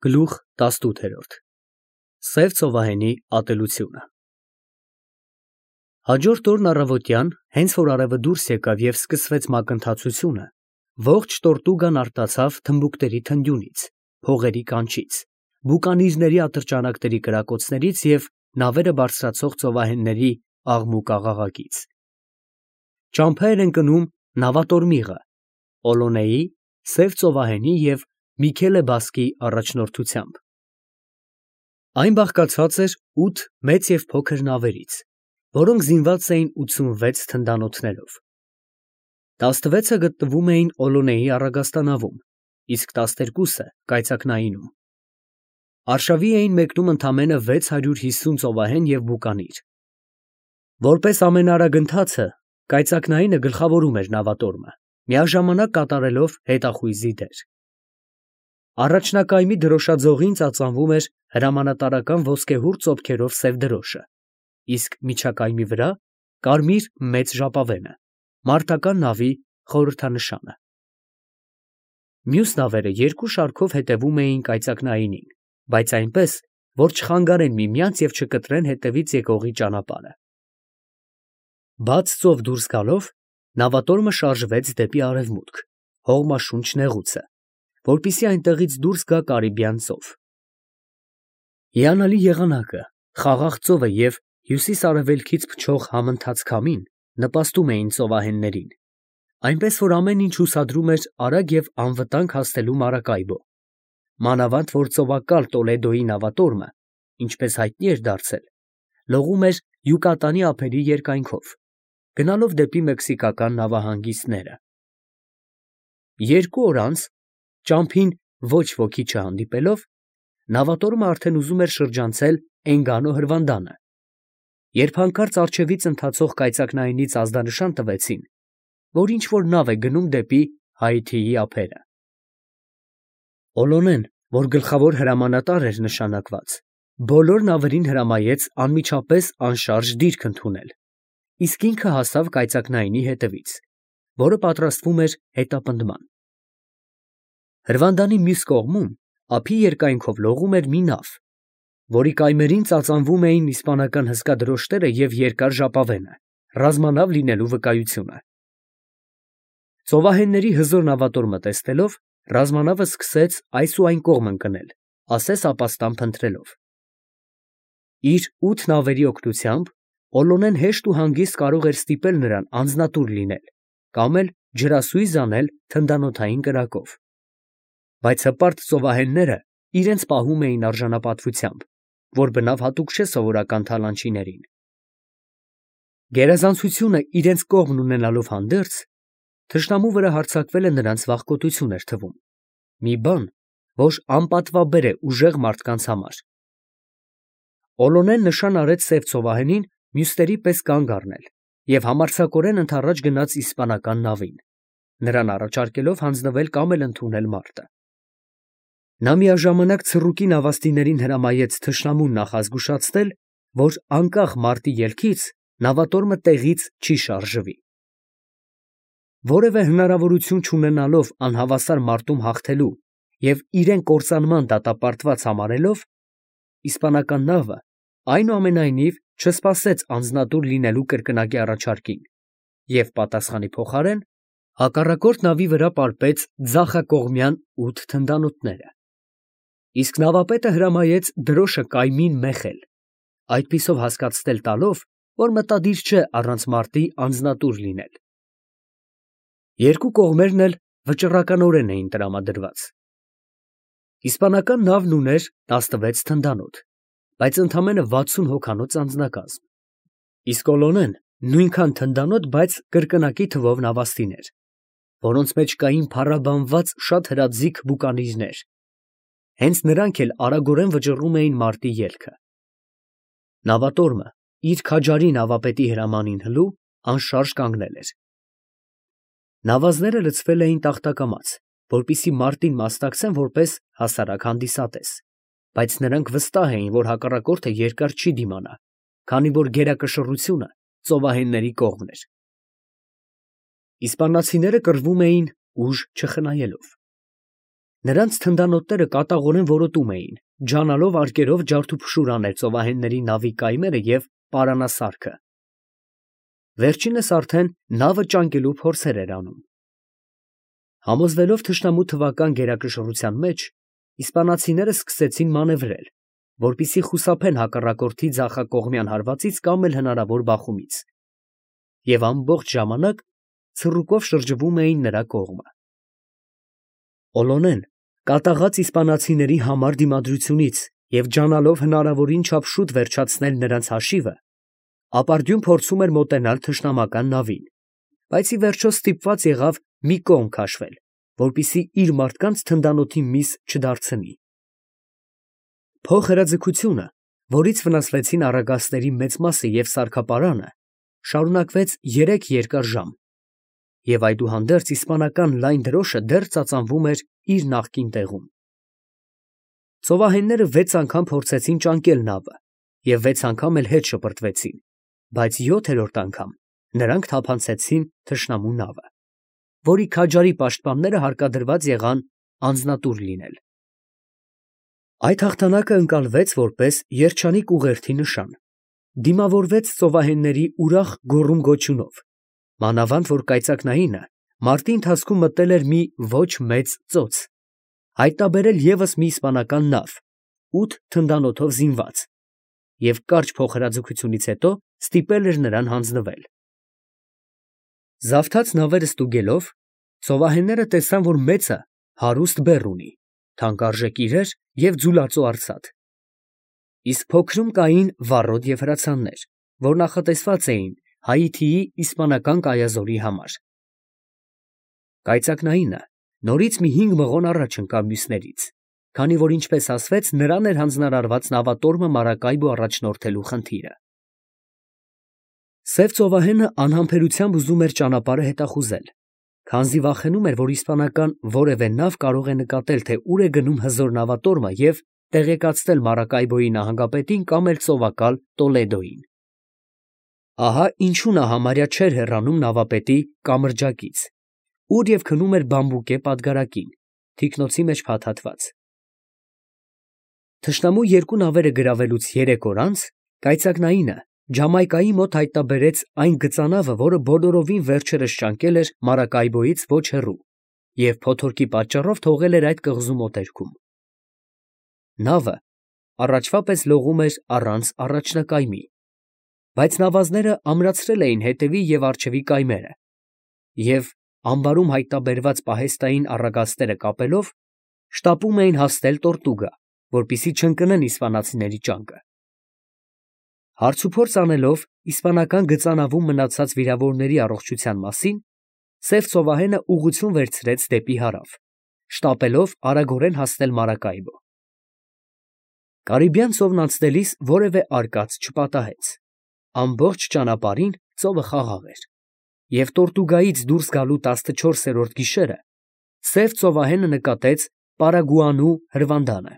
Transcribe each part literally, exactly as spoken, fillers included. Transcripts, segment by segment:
Գլուխ տասնութ Սև ծովահենի ատելությունը Հաջորդ օրն առավոտյան, հենց որ արևը դուրս եկավ և սկսվեց մակընթացությունը, ողջ Տորտուգան արտացավ թմբուկտերի թնդյունից, փողերի կանչից, բուկանիզների ատրճանակների կրակոցներից և նավերը բարձրացող ծովահենների աղմուկ֊աղաղակից։ Ճամփա էր ընկնում նավատորմիղը, Օլոնեի, Սև ծովահենի և Միքելե Բասկի առաջնորդությամբ։ Այն բաղկացած էր ութ մեծ և փոքր նավերից, որոնք զինված էին ութսունվեց թնդանոթներով։ Տասնվեցը գտնվում էին Օլոնեի առագաստանավում, իսկ տասներկուսը կայծակնայինում։ Արշավի էին մեկնում ընդամենը վեց հարյուր հիսուն ծովահեն և բուկանիր։ Որպես ամենաարագընթացը, կայծակնայինը գլխավորում էր նավատորմը, միաժամանակ կատարելով հետախույզի դեր։ Առաջնակայմի դրոշաձողին ծածանվում էր հրամանատարական ոսկեհուռ ծոփքերով սև դրոշը, իսկ միջակայմի վրա կարմիր մեծ ժապավենը, մարտական նավի խորհրդանշանը։ Մյուս նավերը երկու շարքով հետևում էին կայծակնայինին, բայց այնպես, որ չխանգարեն միմյանց և չկտրեն հետևից եկողի ճանապարհը։ Բաց ծով դուրս գալով, նավատորմը շարժվեց դեպի արևմուտք, հողմաշունչ նեղուցը, որպեսզի այնտեղից դուրս գա Կարիբյան ծով։ Հիանալի եղանակը, խաղաղ ծովը և հյուսիս֊արևելքից փչող համընթաց քամին նպաստում էին ծովահեններին, այնպես որ ամեն ինչ հուսադրում էր արագ և անվտանգ հասնելու Մարակայբո, մանավանդ որ ծովակալ Տոլեդոյի նավատորմը, ինչպես հայտնի էր դարձել, լողում էր Յուկատանի ափերի երկայնքով, գնալով դեպի մեքսիկական նավահանգիստները։ Երկու օր անց, ճամփին ոչ ոքի չհանդիպելով, նավատորմը արդեն ուզում էր շրջանցել Էնգանո հրվանդանը, երբ հանկարծ առջևից ընթացող կայծակնայինից ազդանշան տվեցին, որ ինչ֊որ նավ է գնում դեպի Հայիթիի ափերը։ Օլոնեն, որ գլխավոր հրամանատար էր նշանակված, բոլոր նավերին հրամայեց անմիջապես անշարժ դիրք ընդունել, իսկ ինքը հասավ կայծակնայինի հետևից, որը պատրաստվում էր հետապնդման։ Հրվանդանի մյուս կողմում ափի երկայնքով լողում էր մի նավ, որի կայմերին ծածանվում էին իսպանական հսկա դրոշները և երկար ժապավենը, ռազմանավ լինելու վկայությունը։ Ծովահենների հզոր նավատորմը տեսնելով, ռազմանավը սկսեց այս ու այն կողմ ընկնել, ասես ապաստան փնտրելով։ Իր ութ նավերի օգնությամբ Օլոնեն հեշտ ու հանգիստ կարող էր ստիպել նրան անձնատուր լինել կամ էլ ջրասույզ անել թնդանոթային կրակով։ Բայց հպարտ ծովահենները իրենց պահում էին արժանապատվությամբ, որ բնավ հատուկ չէ սովորական թալանչիներին։ Գերազանցությունը իրենց կողմն ունենալով հանդերձ, թշնամու վրա հարձակվելը նրանց վախկոտություն էր թվում, մի բան, որ անպատվաբեր է ուժեղ մարդկանց համար։ Օլոնեն նշան արեց սև ծովահենին մյուսների պես կանգ առնել և համարձակորեն ընդառաջ գնաց իսպանական նավին, նրան առաջարկելով հանձնվել կամ էլ ընդունել մարտը։ Նա միաժամանակ ցռուկի նավաստիներին հրամայեց թշնամուն նախազգուշացնել, որ անկախ մարտի ելքից նավատորմը տեղից չի շարժվի։ Որևէ հնարավորություն չունենալով անհավասար մարտում հաղթելու և իրեն կործանման դատապարտված համարելով, իսպանական նավը այնուամենայնիվ չսպասեց անձնատուր լինելու կրկնակի առաջարկին և պատասխանի փոխարեն հակառակորդ նավի վրա պարպեց ձախակողմյան ութ թնդանոթները, իսկ նավապետը հրամայեց դրոշը կայմին մեխել, այդպիսով հասկացնել տալով, որ մտադիր չէ առանց մարտի անձնատուր լինել։ Երկու կողմերն էլ վճռականորեն էին տրամադրված։ Իսպանական նավն ուներ տասնվեց թնդանոթ, բայց ընդամենը վաթսուն հոգանոց անձնակազմ, իսկ Օլոնեն նույնքան թնդանոթ, բայց կրկնակի թվով նավաստիներ, որոնց մեջ կային փառաբանված շատ հրաձիգ բուկանիզներ, հենց նրանք էլ արագորեն վճռում էին մարտի ելքը։ Նավատորմը, իր քաջարի նավապետի հրամանին հլու, անշարժ կանգնել էր։ Նավազները լցվել էին տախտակամաց, որպեսզի մարտին մասնակցեն որպես հասարակ հանդիսատես, բայց նրանք վստահ էին, որ հակառակորդը երկար չի դիմանա, քանի որ գերակշռությունը ծովահենների կողմն էր։ Իսպանացիները կռվում էին ուժ չխնայելով։ Նրանց թնդանոթները կատաղորեն որոտում էին, ջանալով արկերով ջարդուփշուր անել ծովահենների նավի կայմերը և պարանասարքը։ Վերջինս արդեն նավը ճանկելու փորձեր էր անում։ Համոզվելով թշնամու թվական գերակշռության մեջ, իսպանացիները սկսեցին մանևրել, որպեսզի խուսափեն հակառակորդի ձախակողմյան հարվածից կամ էլ հնարավոր բախումից, և ամբողջ ժամանակ ցռուկով շրջվում էին նրա կողմը։ Օլոնեն, կատաղած իսպանացիների համար դիմադրությունից և ջանալով հնարավորին չափ շուտ վերջացնել նրանց հաշիվը, ապարդյուն փորձում էր մոտենալ թշնամական նավին, բայց ի վերջո ստիպված եղավ մի կողմ քաշվել, որպեսզի իր մարդկանց թնդանոթի միս չդարձնի։ Փոխհրաձգությունը, որից վնասվեցին առագաստների մեծ մասը և սարքապարանը, շարունակվեց երեք երկար ժամ, և այդուհանդերձ իսպանական լայն դրոշը դեռ ծածանվում էր իր նախկին տեղում։ Ծովահենները վեց անգամ փորձեցին ճանկել նավը և վեց անգամ էլ հետ շպրտվեցին, բայց յոթերորդ անգամ նրանք թափանցեցին թշնամու նավը, որի քաջարի պաշտպանները հարկադրված եղան անձնատուր լինել։ Այդ հաղթանակը ընկալվեց որպես երջանիկ ուղերձի նշան, դիմավորվեց ծովահենների ուրախ գոռում֊գոչյունով, մանավանդ որ կայծակնայինը մարտի ընթացքում մտել էր մի ոչ մեծ ծոց, հայտնաբերել ևս մի իսպանական նավ, ութ թնդանոթով զինված, և կարճ փոխհրաձգությունից հետո ստիպել էր նրան հանձնվել։ Զավթած նավերը ստուգելով, ծովահենները տեսան, որ մեծը հարուստ բեռ ունի, թանկարժեք իրեր և ձուլածո արծաթ, իսկ փոքրում կային վառոդ և հրացաններ, որ նախատեսված էին Հայիթիի իսպանական կայազորի համար։ Կայծակնայինը նորից մի հինգ մղոն առաջ ընկավ մյուսներից, քանի որ, ինչպես ասվեց, նրան էր հանձնարարված նավատորմը Մարակայբո առաջնորդելու խնդիրը։ Սև ծովահենը անհամբերությամբ ուզում էր ճանապարհը հետախուզել, քանզի վախենում էր, որ իսպանական որևէ նավ կարող է նկատել, թե ուր է գնում հզոր նավատորմը և տեղեկացնել Մարակայբոյի նահանգապետին կամ էլ ծովակալ Տոլեդոյին։ Ահա ինչու նա համարյա չէր հեռանում նավապետի կամրջակից, ուր և քնում էր բամբուկե պատգարակին, թիկնոցի մեջ փաթաթված։ Թշնամու երկու նավերը գրավելուց երեք օր անց կայծակնայինը Ջամայկայի մոտ հայտնաբերեց այն գծանավը, որը բոլորովին վերջերս ճանկել էր Մարակայբոյից ոչ հեռու և փոթորկի պատճառով թողել էր այդ կղզու մոտերքում։ Նավը առաջվա պես լողում էր առանց առաջնակայմի, բայց նավազները ամրացրել էին հետևի և առջևի կայմերը և, ամբարում հայտնաբերված պահեստային առագաստերը կապելով, շտապում էին հասնել Տորտուգա, որպեսզի չընկնեն իսպանացիների ճանկը։ Հարցուփորձ անելով իսպանական գծանավում մնացած վիրավորների առողջության մասին, սև ծովահենը ուղղություն վերցրեց դեպի հարավ, շտապելով արագորեն հասնել Մարակայբո։ Կարիբյան ծովն անցնելիս որևէ արկած չպատահեց, ամբողջ ճանապարհին ծովը խաղաղ էր, և Տորտուգայից դուրս գալու տասնչորսերորդ գիշերը սև ծովահենը նկատեց Պարագուանու հրվանդանը,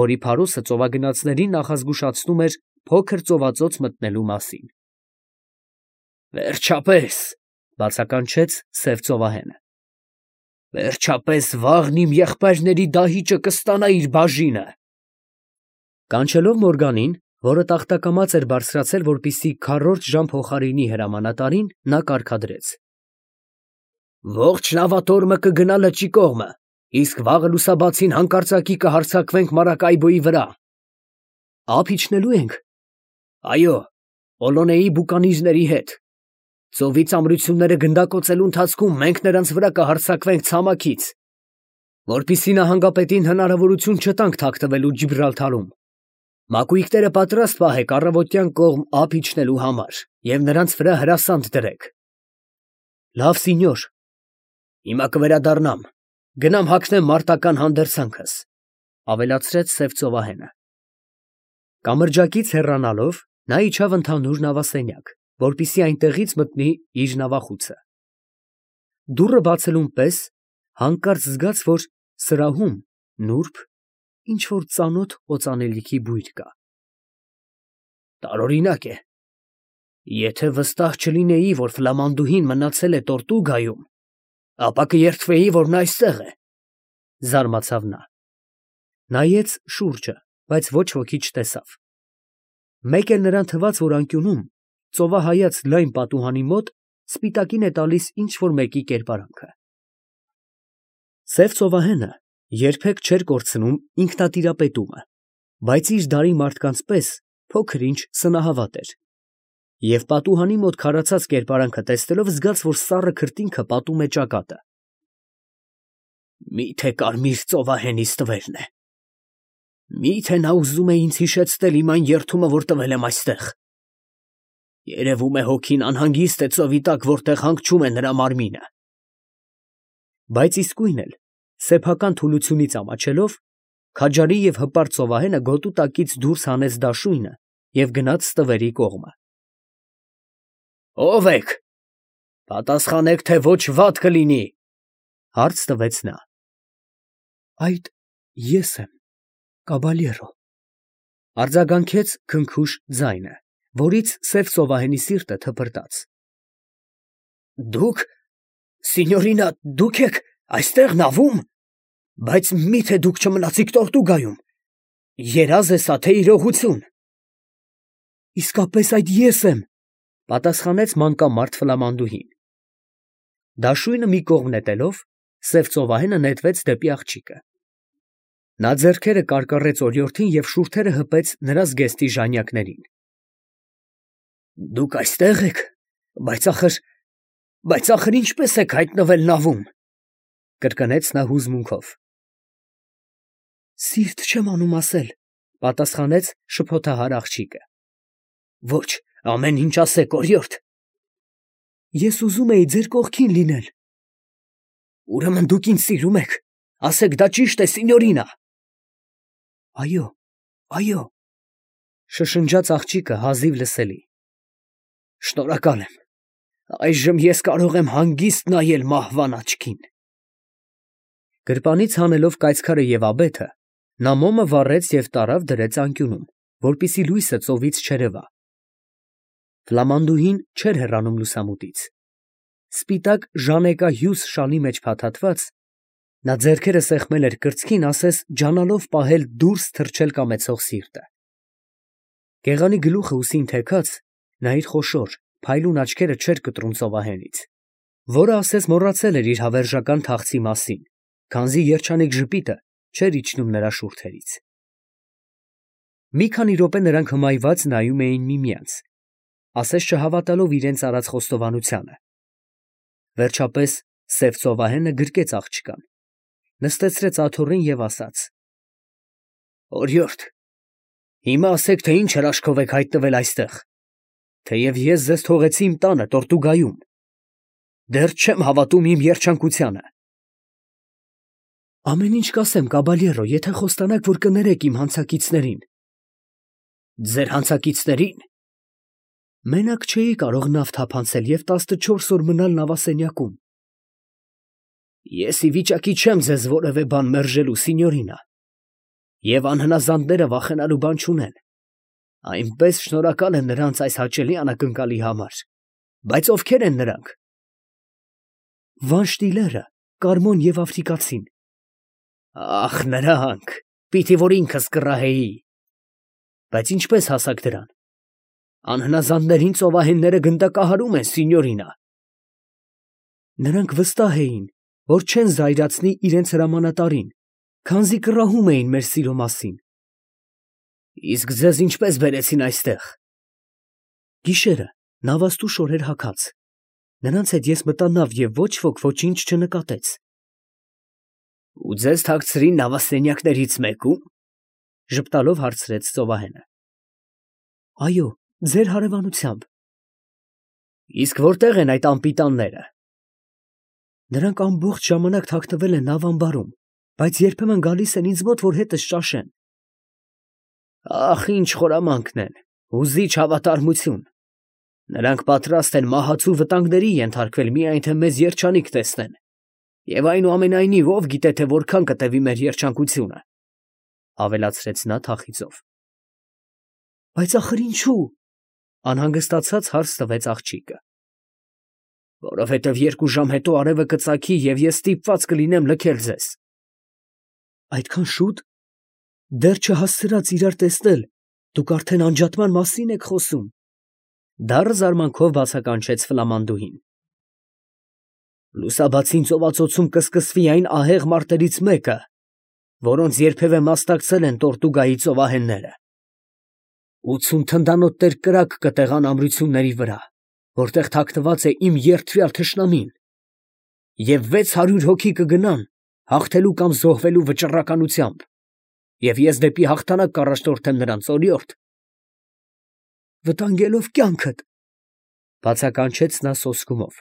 որի փարոսը ծովագնացներին նախազգուշացնում էր փոքր ծովածոց մտնելու մասին։ «Վերջապես, ֊ բացականչեց սև ծովահենը, ֊ վերջապես վաղն իմ եղբայրների դահիճը կստանա իր բաժինը»։ Կանչելով Մորգանին, որը տախտակամած էր բարձրացել, որպեսզի քառորդ ժամ փոխարինի հրամանատարին, նա կարգադրեց. «Ողջ նավատորմը կգնա լճի կողմը, իսկ վաղը լուսաբացին հանկարծակի կհարձակվենք Մարակայբոյի վրա։ ֊ Ափ իջնելո՞ւ ենք։ ֊ Այո, Օլոնեի բուկանիզների հետ։ Ծովի ծամրությունները գնդակոծելու ընթացքում մենք նրանց վրա կհարձակվենք ցամաքից, որպեսզի նահանգապետին հնարավորություն չտանք թաքնվելու Ջիբրալթարում։ Մակույկները պատրաստ պահեք առավոտյան կողմ ափ իջնելու համար և նրանց վրա հրասանդ դրեք։ ֊ Լավ, սինյոր։ ֊ Հիմա կվերադառնամ, գնամ հագնեմ մարտական հանդերձանքս, ֊ ավելացրեց սև ծովահենը։ Կամրջակից հեռանալով, նա իջավ ընդհանուր նավասենյակ, որպեսզի այնտեղից մտնի իր նավախուցը։ Դուռը բացելուն պես հանկարծ զգաց, որ սրահում նուրբ ինչ֊որ ծանոթ օծանելիքի բույր կա։ Տարօրինակ է, եթե վստահ չլինեի, որ ֆլամանդուհին մնացել է Տորտուգայում, ապա կերդվեի, որ նա այստեղ է։ Զարմացավ նա։ Նայեց շուրջը, բայց ոչ ոքի չտեսավ։ Մեկ էլ նրան թվաց, որ անկյունում, ծովահայաց լայն պատուհանի մոտ, սպիտակին է տալիս ինչ֊որ մեկի կերպարանքը։ Սև ծովահենը երբեք չէր կորցնում ինքնատիրապետումը, բայց իր դարի մարդկանց պես փոքր-ինչ սնահավատ էր, և պատուհանի մոտ քարացած կերպարանքը տեսնելով զգաց, որ սառը քրտինքը պատում է ճակատը։ Մի՞թե կարմիր ծովահենիս տվերն է։ Մի՞թե նա ուզում է ինձ հիշեցնել իմ այն երդումը, որ տվել եմ այստեղ։ Երևում է հոգին անհանգիստ է ծովի տակ, որտեղ հանգչում է նրա մարմինը։ Բայց իսկույն էլ, սեփական թուլությունից ամաչելով, քաջարի և հպարտ ծովահենը գոտու տակից դուրս հանեց դաշույնը և գնաց ստվերի կողմը։ Ո՞վ եք, պատասխանեք, թե ոչ վատ կլինի, հարց տվեց նա։ Այդ ես եմ, կաբալյերո, արձագանքեց քնքուշ ձայնը, որից սև ծովահենի սիրտը թպրտաց։ Դուք, սինյորինա, դուք եք այստեղ նավում, բայց մի՞թե դուք չմնացիք Տորտուգայում, երազ է սա, թե իրողություն։ Իսկապես այդ ես եմ, պատասխանեց մանկամարդ ֆլամանդուհին։ Դաշույնը մի կողմ նետելով, սև ծովահենը նետվեց դեպի աղջիկը։ Նա ձեռքերը կարկառեց օրիորդին և շուրթերը հպեց նրա զգեստի ժանյակներին։ Դուք այստեղ եք, բայց ախր, բայց ախր ինչպես եք հայտնվել նավում, կրկնեց նա հուզմունքով։ Սիրտ չեմ անում ասել, պատասխանեց շփոթահար աղջիկը։ Ոչ, ամեն ինչ ասեք, օրիորդ։ Ես ուզում էի ձեր կողքին լինել։ Ուրեմն դուք ինձ սիրում եք, ասեք դա ճիշտ է, սինյորինա։ Այո, այո, շշնջաց աղջիկը հազիվ լսելի։ Շնորհակալ եմ, այժմ ես կարող եմ հանգիստ նայել մահվան աչքին։ Գրպանից հանելով կայծքարը և աբեթը, նա մոմը վառեց և տարավ դրեց անկյունում, որպեսզի լույսը ծովից չերևա։ Ֆլամանդուհին չէր հեռանում լուսամուտից։ Սպիտակ ժանեկահյուս շալի մեջ փաթաթված, նա ձեռքերը սեղմել էր կրծքին, ասես ջանալով պահել դուրս թռչել կամեցող սիրտը։ Գեղանի գլուխը ուսին թեքած, նա իր խոշոր, փայլուն աչքերը չէր կտրում ծովահենից, որը ասես մոռացել էր իր հավերժական թախծի մասին, քանզի երջանիկ ժպիտը չէր իջնում նրա շուրթերից։ Մի քանի րոպե նրանք հմայված նայում էին միմյանց, ասես չհավատալով իրենց արած խոստովանությանը։ Վերջապես սև ծովահենը գրկեց աղջկան, նստեցրեց աթոռին և ասաց. Օրիորդ, հիմա ասեք, թե ինչ հրաշքով եք հայտնվել այստեղ, թեև ես ձեզ թողեցի իմ տանը Տորտուգայում, դեռ չեմ հավատում իմ երջանկությանը։ Ամեն ինչ կասեմ, կաբալյերո, եթե խոստանաք, որ կներեք իմ հանցակիցներին։ Ձեր հանցակիցների՞ն։ Մենակ չէի կարող նավ թափանցել և տասնչորս օր մնալ նավասենյակում։ Ես ի վիճակի չեմ ձեզ որևէ բան մերժելու, սինյորինա, և անհնազանդները վախենալու բան չունեն, այնպես շնորհակալ եմ նրանց այս հաճելի անակնկալի համար, բայց ովքե՞ր են նրանք։ Վանշտիլերը, Կարմոն և Աֆրիկացին։ Ախ, նրանք, պիտի որ ինքս կռահեի։ Բայց ինչպես հասաք դրան։ Անհնազանդներին ծովահենները գնդակահարում են, սինյորինա։ Նրանք վստահ էին, որ չեն զայրացնի իրենց հրամանատարին, քանզի կռահում էին մեր սիրո մասին։ Իսկ ձեզ ինչպես բերեցին այստեղ։ Գիշերը նավաստու շորեր հագած։ Նրանց հետ ես մտա նավ և ոչ ոք ոչինչ չնկատեց։ Ու ձեզ թաքցրին նավասենյակներից մեկու՞մ, ժպտալով հարցրեց ծովահենը։ Այո, ձեր հարևանությամբ։ Իսկ որտեղ են այդ անպիտանները։ Նրանք ամբողջ ժամանակ թաքնվել են նավ ամբարում, բայց երբեմն գալիս են ինձ մոտ, որ հետս ճաշեն։ Ախ, ինչ խորամանկն են, հուզիչ հավատարմություն։ Նրանք պատրաստ են մահացու վտանգների ենթարկվել, միայն թե մեզ երջանիկ տեսնեն, և այնուամենայնիվ ով գիտե, թե որքան կտևի մեր երջանկությունը, ավելացրեց նա թախիծով։ Բայց ախր ինչու, անհանգստացած հարց տվեց աղջիկը։ Որովհետև երկու ժամ հետո արևը կծագի, և ես ստիպված կլինեմ լքել ձեզ։ Այդքան շուտ, դեռ չհասցրած իրար տեսնել, դուք արդեն անջատման մասին եք խոսում։ Դառը զարմանքով բացականչեց ֆլամանդուհին։ Լուսաբացին ծովածոցում կսկսվի այն ահեղ մարտերից մեկը, որոնց երբևէ մասնակցել են Տորտուգայի ծովահենները։ Ութսուն թնդանոթներ կրակ կտեղան ամրությունների վրա, որտեղ թաքնված է իմ երդվյալ թշնամին, և վեց հարյուր հոգի կգնան հաղթելու կամ զոհվելու վճռականությամբ, և ես դեպի հաղթանակ կառաջնորդեմ նրանց օրիորդ։ Վտանգելով կյանքդ, բացականչեց նա սոսկումով։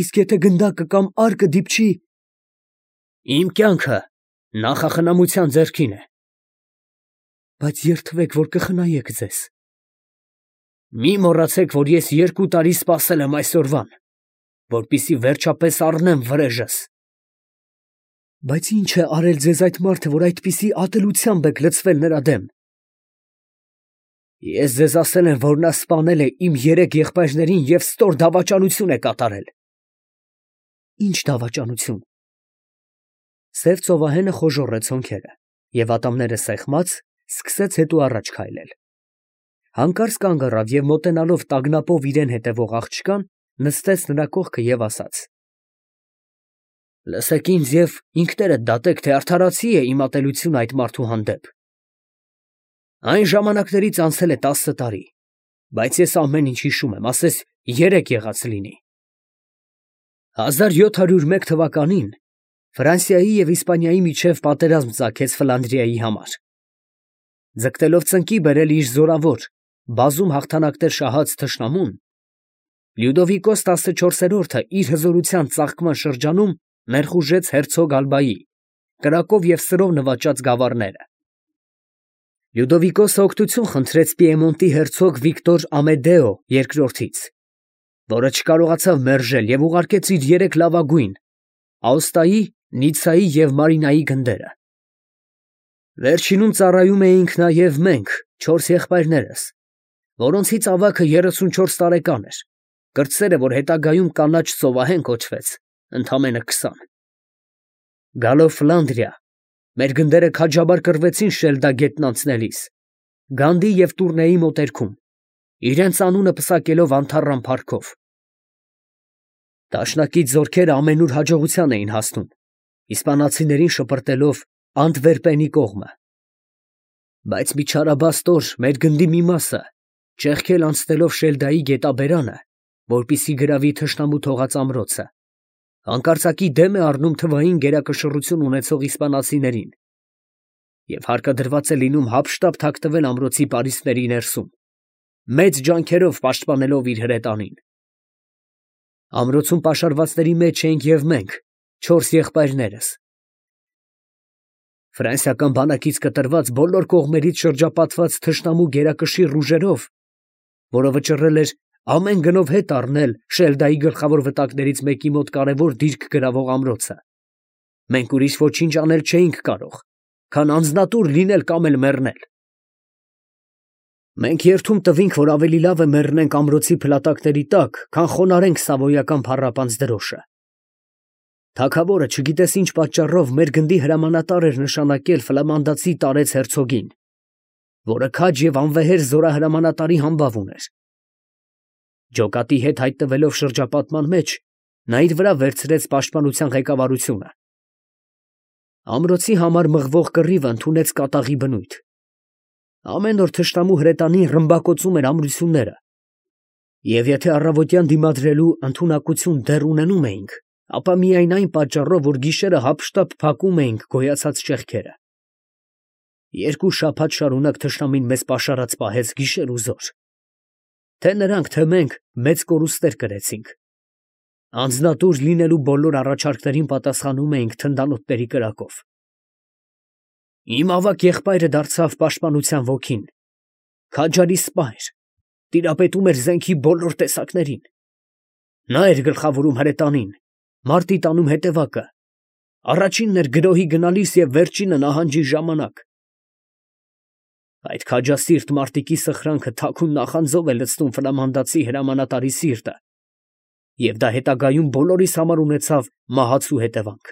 Իսկ եթե գնդակը կամ արկը դիպչի, իմ կյանքը նախախնամության ձեռքին է։ Բայց երդվեք, որ կխնայեք ձեզ։ Մի մոռացեք, որ ես երկու տարի սպասել եմ այսօրվան, որպեսզի վերջապես առնեմ վրեժս։ Բայց ի՞նչ է արել ձեզ այդ մարդը, որ այդպիսի ատելությամբ եք լցվել նրա դեմ։ Ես ձեզ ասել եմ, որ նա սպանել է իմ երեք եղբայրներին և ստոր դավաճանություն է կատարել։ Ի՞նչ դավաճանություն։ Սև ծովահենը խոժոռեց հոնքերը և ատամները սեղմած, սկսեց հետո առաջ քայլել։ Հանկարծ կանգ առավ և մոտենալով տագնապով իրեն հետևող աղջկան, նստեց նրա կողքը և ասաց. Լսեք ինձ և ինքներդ դատեք, թե արդարացի է իմ ատելությունը այդ մարդու հանդեպ։ Այն ժամանակներից անցել է տասը տարի, բայց ես ամեն ինչ հիշում եմ, ասես երեկ եղած լինի։ հազար յոթ հարյուր մեկ թվականին Ֆրանսիայի և Իսպանիայի միջև պատերազմ ծագեց Ֆլանդրիայի համար։ Ձգտելով ծնկի բերել իր զորավոր, բազում հաղթանակներ շահած թշնամուն, Լյուդովիկոս տասնչորսերորդը իր հզորության ծաղկման շրջանում ներխուժեց հերցոգ Ալբայի, կրակով և սրով նվաճած գավառները։ Լյուդովիկոսը օգնություն խնդրեց Պիեմոնտի հերցոգ Վիկտոր Ամեդեո երկրորդից, որը չկարողացավ մերժել և ուղարկեց իր երեք լավագույն՝ Աոստայի, Նիցայի և Մարինայի գնդերը։ Վերջինում ծառայում էինք նաև մենք, չորս եղբայրներս, որոնցից ավագը երեսունչորս տարեկան էր, կրտսերը, որ հետագայում կանաչ ծովահեն կոչվեց, ընդամենը քսան։ Գալով Ֆլանդրիա, մեր գնդերը քաջաբար կռվեցին Շելդա գետն անցնելիս, Գանդի և Տուրնեի մոտերքում, իրենց անունը պսակելով անթառամ փառքով։ Դաշնակից զորքերը ամենուր հաջողության էին հասնում, իսպանացիներին շպրտելով Անտվերպենի կողմը։ Բայց մի չարաբաստ օր մեր գնդի մի մասը, ճեղքել անցնելով Շելդայի գետաբերանը, որպեսզի գրավի թշնամու թողած ամրոցը, հանկարծակի դեմ է առնում թվային գերակշռություն ունեցող իսպանացիներին և հարկադրված է լինում հափշտապ թաքնվել ամրոցի պարիսպների ներսում, մեծ ջանքերով պաշտպանելով իր հրետանին։ Ամրոցում պաշարվածների մեջ էինք և մենք, չորս եղբայրներս։ Ֆրանսիական բանակից կտրված բոլոր կողմերից շրջապատված թշնամու գերակշիռ ուժերով, որը վճռել էր ամեն գնով հետ առնել Շելդայի գլխավոր վտակներից մեկի մոտ կարևոր դիրք գրավող ամրոցը, մենք ուրիշ ոչինչ անել չէինք կարող, քան անձնատուր լինել կամ էլ մեռնել։ Մենք երդում տվինք, որ ավելի լավ է մեռնենք ամրոցի փլատակների տակ, քան խոնարհենք Սավոյական փառապանծ դրոշը։ Թագավորը չգիտես ինչ պատճառով մեր գնդի հրամանատար էր նշանակել ֆլամանդացի տարեց հերցոգին, որը քաջ և անվեհեր զորահրամանատարի համբավ ուներ։ Ջոկատի հետ հայտնվելով շրջապատման մեջ, նա իր վրա վերցրեց պաշտպանության ղեկավարությունը։ Ամրոցի համար մղվող կռիվը ընդունեց կատաղի բնույթ։ Ամեն օր թշնամու հրետանին ռմբակոծում էր ամրությունները, և եթե առավոտյան դիմադրելու ընդունակություն դեռ ունենում էինք, ապա միայն այն պատճառով, որ գիշերը հափշտապ փակում էինք գոյացած ճեղքերը։ Երկու շաբաթ շարունակ թշնամին մեզ պաշարած պահեց գիշեր ու զօր։ Թե նրանք, թե մենք մեծ կորուստներ կրեցինք։ Անձնատուր լինելու բոլոր առաջարկներին պատասխանում էինք թնդանոթների կրակով։ Իմ ավագ եղբայրը դարձավ պաշտպանության ոգին, քաջարի սպա էր, տիրապետում էր զենքի բոլոր տեսակներին։ Նա էր գլխավորում հրետանին, մարտի տանում հետևակը, առաջինն էր գրոհի գնալիս և վերջինը նահանջի ժամանակ։ Այդ քաջասիրտ մարտիկի սխրանքը թաքուն նախանձով է լցնում ֆլամանդացի հրամանատարի սիրտը, և դա հետագայում բոլորիս համար ունեցավ մահացու հետևանք։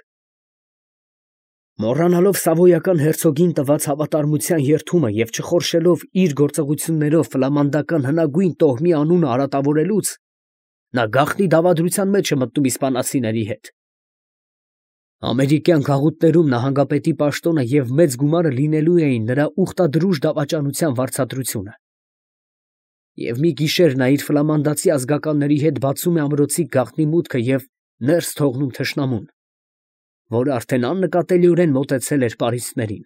Մոռանալով Սավոյական հերցոգին տված հավատարմության երդումը և չխորշելով իր գործողություններով ֆլամանդական հնագույն տոհմի անունը արատավորելուց, նա գաղտնի դավադրության մեջ է մտնում իսպանացիների հետ։ Ամերիկյան գաղութներում նահանգապետի պաշտոնը և մեծ գումարը լինելու էին նրա ուխտադրուժ դավաճանության վարձատրությունը։ Եվ մի գիշեր նա իր ֆլամանդացի ազգականների հետ բացում է ամրոցի գաղտնի մուտքը և ներս թողնում թշնամուն, որը արդեն աննկատելիորեն մոտեցել էր պարիսպներին։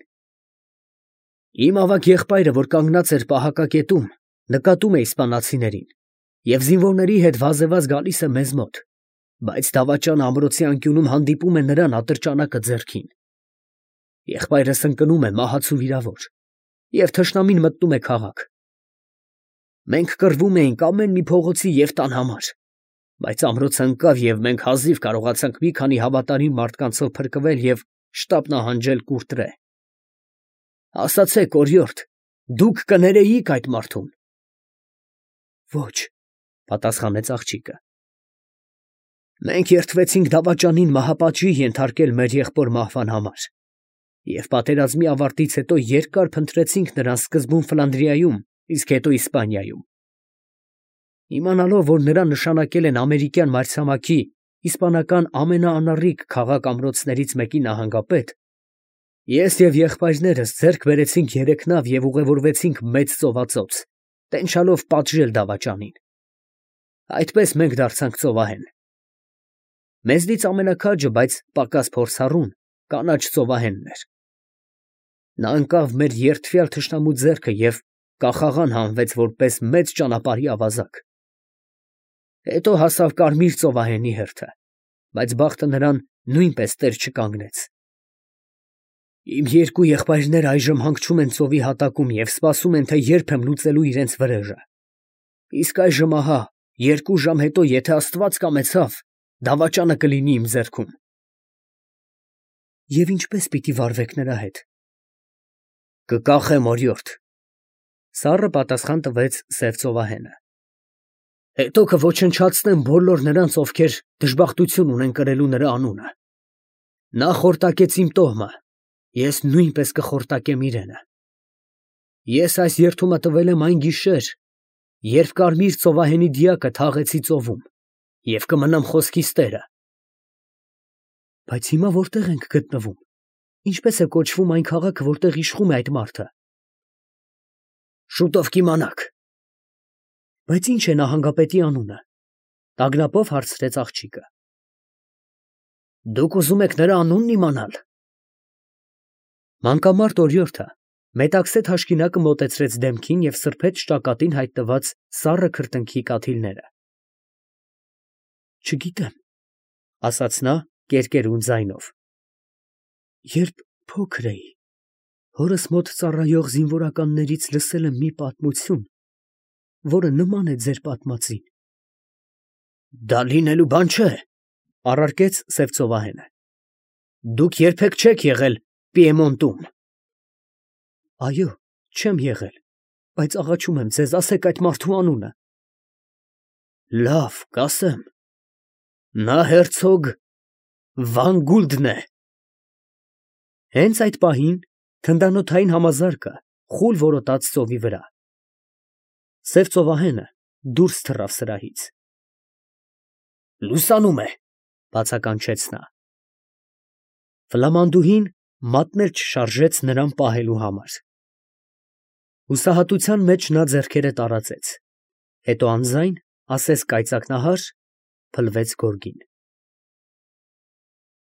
Իմ ավագ եղբայրը, որ կանգնած էր պահակակետում, նկատում է իսպանացիներին և զինվորների հետ վազևազ գալիս է մեզ մոտ, բայց դավաճանը ամրոցի անկյունում հանդիպում է նրան ատրճանակը ձեռքին։ Եղբայրս ընկնում է մահացու վիրավոր, և թշնամին մտնում է քաղաք։ Մենք կռվում էինք ամեն մի փողոցի և տան համար, բայց ամրոցը ընկավ, և մենք հազիվ կարողացանք մի քանի հավատարիմ մարդկանցով փրկվել և շտապ նահանջել Կուրտրե։ Ասացեք, օրիորդ, դուք կներեի՞ք այդ մարդուն։ Ոչ, պատասխանեց աղջիկը։ Մենք երդվեցինք դավաճանին մահապատժի ենթարկել մեր եղբոր մահվան համար և պատերազմի ավարտից հետո երկար փնտրեցինք նրան սկզբում Ֆլանդրիայում, իսկ հետո Իսպանիայում։ Իմանալով, որ նրան նշանակել են ամերիկյան մայրցամաքի իսպանական ամենաանառիկ քաղաք֊ամրոցներից մեկի նահանգապետ, ես և եղբայրներս ձեռք բերեցինք երեք նավ և ուղևորվեցինք Մեծ ծովածոց, տենչալով պատժել դավաճանին։ Այդպես մենք դարձանք ծովահեն։ Մեզնից ամենաքաջը, բայց պակաս փորձառուն, կանաչ ծովահենն էր։ Նա ընկավ մեր երդվյալ թշնամու ձեռքը և կախաղան հանվեց որպես մեծ ճանապարհի ավազակ։ Հետո հասավ Կարմիր ծովահենի հերթը, բայց բախտը նրան նույնպես տեր չկանգնեց։ Իմ երկու եղբայրները այժմ հանգչում են ծովի հատակում և սպասում են, թե երբ եմ լուծելու իրենց վրեժը։ Իսկ այժմ ահա, երկու ժամ հետո, եթե Աստված կամեցավ, դավաճանը կլինի իմ ձեռքում։ Եվ ինչպե՞ս պիտի վարվեք նրա հետ։ Կկախեմ, օրիորդ, սառը պատասխան տվեց սև ծովահենը։ Հետո կոչնչացնեմ բոլոր նրանց, ովքեր դժբախտություն ունեն կրելու նրա անունը։ Նա խորտակեց իմ տոհմը, ես նույնպես կխորտակեմ իրենը։ Ես այս երդումը տվել եմ այն գիշեր, երբ Կարմիր ծովահենի դիակը թաղեցի ծովում, և կմնամ խոսքիս տերը։ Բայց հիմա որտե՞ղ ենք գտնվում, ինչպես է կոչվում այն քաղաքը, որտեղ իշխում է այդ մարդը։ Շուտով կիմանաք։ Բայց ի՞նչ է նահանգապետի անունը, տագնապով հարցրեց աղջիկը։ Դուք ուզում եք նրա անունն իմանալ։ Մանկամարտ օրիորդը մետաքսե թաշկինակը մոտեցրեց դեմքին և սրբեց ճակատին հայտնված սառը քրտինքի կաթիլները։ Չգիտեմ, ասաց նա կերկերուն ձայնով։ Երբ փոքր էի, հորս մոտ ծառայող զինվորականներից լսել եմ մի պատմություն, որը նման է ձեր պատմածին։ Դա լինելու բան չէ, առարկեց սև ծովահենը։ Դուք երբեք չեք եղել Պիեմոնտում։ Այո, չեմ եղել, բայց աղաչում եմ ձեզ, ասեք այդ մարդու անունը։ Լավ, կասեմ։ Նա հերցոգ Վանգուլդն է։ Հենց այդ պահին թնդանոթային համազարկը խուլ որոտաց ծովի վրա։ Սև ծովահենը դուրս թռավ սրահից։ Լուսանում է, բացականչեց նա։ Ֆլամանդուհին մատներ չշարժեց նրան պահելու համար։ Հուսահատության մեջ նա ձեռքերը տարածեց, հետո անձայն ասես կայծակնահար փլվեց գորգին։